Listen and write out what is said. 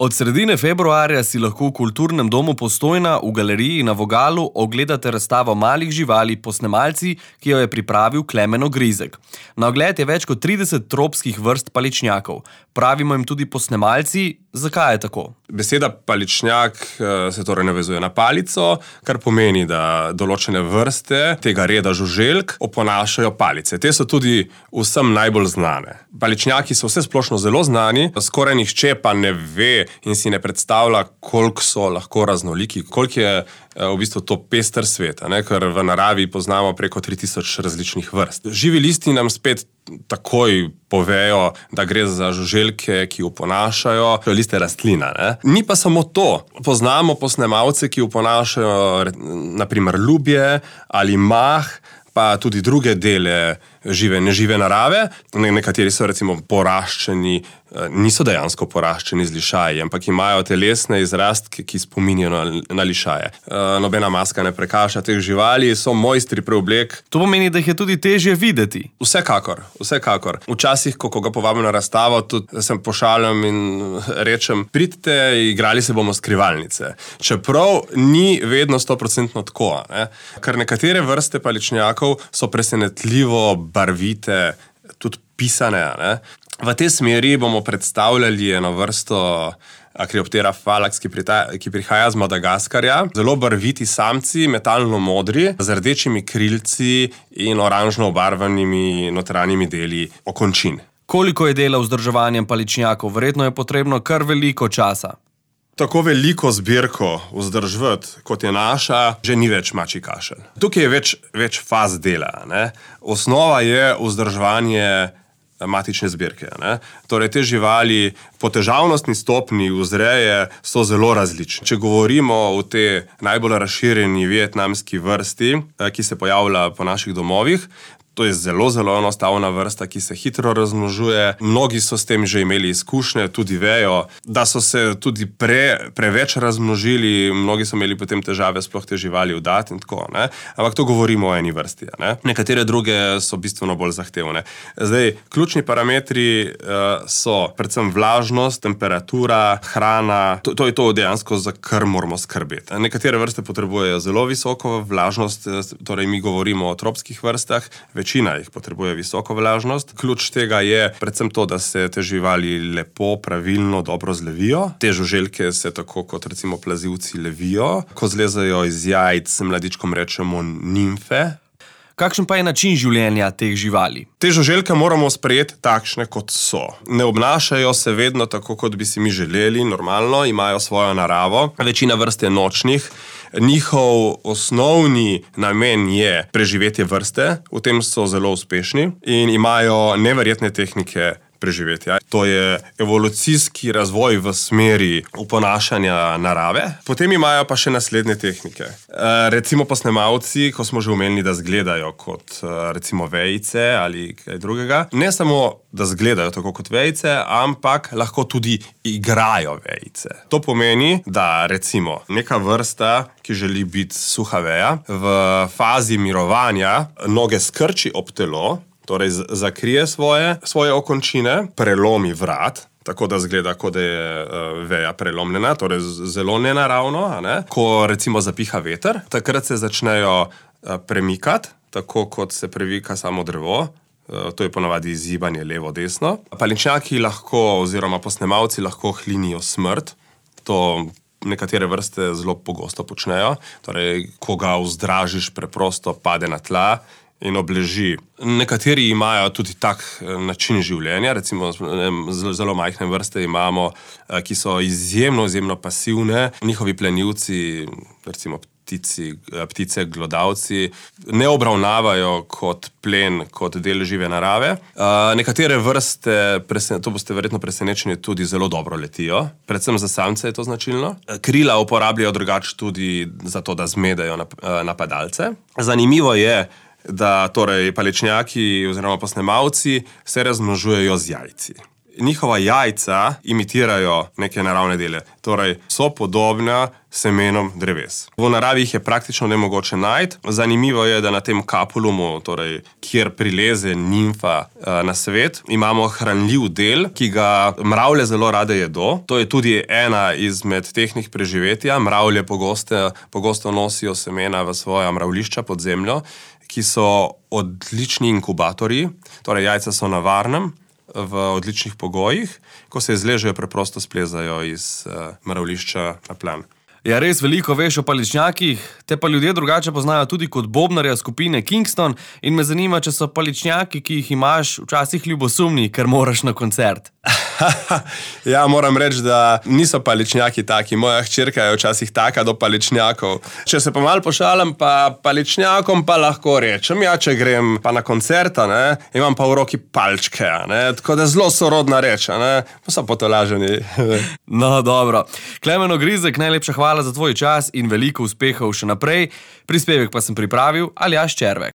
Od sredine februarja si lahko v Kulturnem domu Postojna v galeriji na Vogalu ogledate razstavo malih živali Posnemalci, ki jo je pripravil Klemen Ogrizek. Na ogled je več kot 30 tropskih vrst paličnjakov. Pravimo jim tudi Posnemalci. Zakaj je tako? Beseda paličnjak se torej navezuje na palico, kar pomeni, da določene vrste tega reda žuželk oponašajo palice. Te so tudi vsem najbolj znane. Paličnjaki so vse splošno zelo znani, skoraj nihče pa ne ve in si ne predstavlja, koliko so lahko raznoliki, koliko je v bistvu to pester svet, ker v naravi poznamo preko 3000 različnih vrst. Živi listi nam spet takoj povejo, da gre za žuželke, ki oponašajo liste rastlina. Ni pa samo to. Poznamo posnemalce, ki oponašajo naprimer ljubje ali mah, pa tudi druge dele nežive narave. Nekateri so recimo poraščeni, niso dejansko poraščeni z lišaji, ampak imajo telesne izrastke, ki spominjajo na lišaje. Nobena maska ne prekaša teh živali, so mojstri preoblek. To pomeni, da jih je tudi težje videti. Vsekakor. Včasih, ko ga povabim na razstavo, tudi sem pošaljem in rečem, pridite, igrali se bomo skrivalnice. Čeprav ni vedno 100% tako. Ker nekatere vrste paličnjakov so presenetljivo barvite, tudi pisane. V tej smeri bomo predstavljali eno vrsto Akrioptera phallax, ki prihaja z Madagaskarja. Zelo barviti samci, metalno modri, z rdečimi krilci in oranžno obarvanimi notranjimi deli okončin. Koliko je dela vzdrževanjem paličnjakov? Verjetno je potrebno kar veliko časa. Tako veliko zbirko vzdrževati, kot je naša, že ni več mačji kašelj. Tukaj je več faz dela. Osnova je vzdrževanje matične zbirke. Torej, te živali po težavnostni stopnji vzreje so zelo različne. Če govorimo o tej najbolj razširjeni vietnamski vrsti, ki se pojavlja po naših domovih, to je zelo enostavna vrsta, ki se hitro razmnožuje. Mnogi so s tem že imeli izkušnje, tudi vejo, da so se tudi preveč razmnožili, mnogi so imeli potem težave sploh te živali vdati in tako. Ampak to govorimo o eni vrsti. Nekatere druge so bistveno bolj zahtevne. Zdaj, ključni parametri so predvsem vlažnost, temperatura, hrana. To je to dejansko, za kar moramo skrbeti. Nekatere vrste potrebujejo zelo visoko vlažnost, torej mi govorimo o tropskih vrstah, večina jih potrebuje visoko vlažnost. Ključ tega je predvsem to, da se te živali lepo, pravilno, dobro zlevijo. Te žuželke se tako kot recimo plazivci levijo. Ko zlezajo iz jajc, mladičkom rečemo nimfe. Kakšen pa je način življenja teh živali? Te žuželke moramo sprejeti takšne, kot so. Ne obnašajo se vedno tako, kot bi si mi želeli, normalno, imajo svojo naravo. Večina vrst je nočnih. Njihov osnovni namen je preživetje vrste, v tem so zelo uspešni in imajo neverjetne tehnike preživetja. To je evolucijski razvoj v smeri oponašanja narave. Potem imajo pa še naslednje tehnike. Recimo posnemalci, ko smo že omenili, da zgledajo kot recimo vejice ali kaj drugega. Ne samo, da zgledajo tako kot vejice, ampak lahko tudi igrajo vejice. To pomeni, da recimo neka vrsta, ki želi biti suha veja, v fazi mirovanja noge skrči ob telo, torej zakrije svoje okončine, prelomi vrat, tako da zgleda, kot da je veja prelomljena, torej zelo nenaravno. Ko recimo zapiha veter, takrat se začnejo premikati, tako kot se premika samo drevo. To je ponavadi izgibanje levo-desno. Paličnjaki lahko, oziroma posnemalci lahko hlinijo smrt. To nekatere vrste zelo pogosto počnejo. Torej, ko ga vzdražiš, preprosto pade na tla in obleži. Nekateri imajo tudi tak način življenja, recimo zelo majhne vrste imamo, ki so izjemno pasivne. Njihovi plenilci, recimo ptice, glodavci, ne obravnavajo kot plen, kot del žive narave. Nekatere vrste, to boste verjetno presenečeni, tudi zelo dobro letijo. Predvsem za samce je to značilno. Krila uporabljajo drugače tudi zato, da zmedejo napadalce. Zanimivo je, da torej paličnjaki oziroma posnemalci se razmnožujejo z jajci. njihova jajca imitirajo neke naravne dele. Torej, so podobna semenom dreves. V naravi jih je praktično nemogoče najti. Zanimivo je, da na tem kapulumu, torej, kjer prileze nimfa na svet, imamo hranljiv del, ki ga mravlje zelo rade jedo. To je tudi ena izmed tehnik preživetja. Mravlje pogosto nosijo semena v svoja mravlišča pod zemljo, ki so odlični inkubatorji, torej jajca so na varnem, v odličnih pogojih, ko se izležejo, preprosto splezajo iz mravlišča na plan. Ja, res veliko veš o paličnjakih, te pa ljudje drugače poznajo tudi kot bobnarja skupine Kingston in me zanima, če so paličnjaki, ki jih imaš, včasih ljubosumni, ker moraš na koncert. Ja, moram reči, da niso paličnjaki taki. Moja hčerka je včasih taka do paličnjakov. Če se pa malo pošalim, pa paličnjakom pa lahko rečem, ja, če grem pa na koncerta, ne, imam pa v roki palčke, ne, tako da zelo sorodna reč, ne, pa so potolaženi. No, dobro. Klemen Ogrizek, najlepša hvala za tvoj čas in veliko uspehov še naprej. Prispevek pa sem pripravil Aljaž Červek.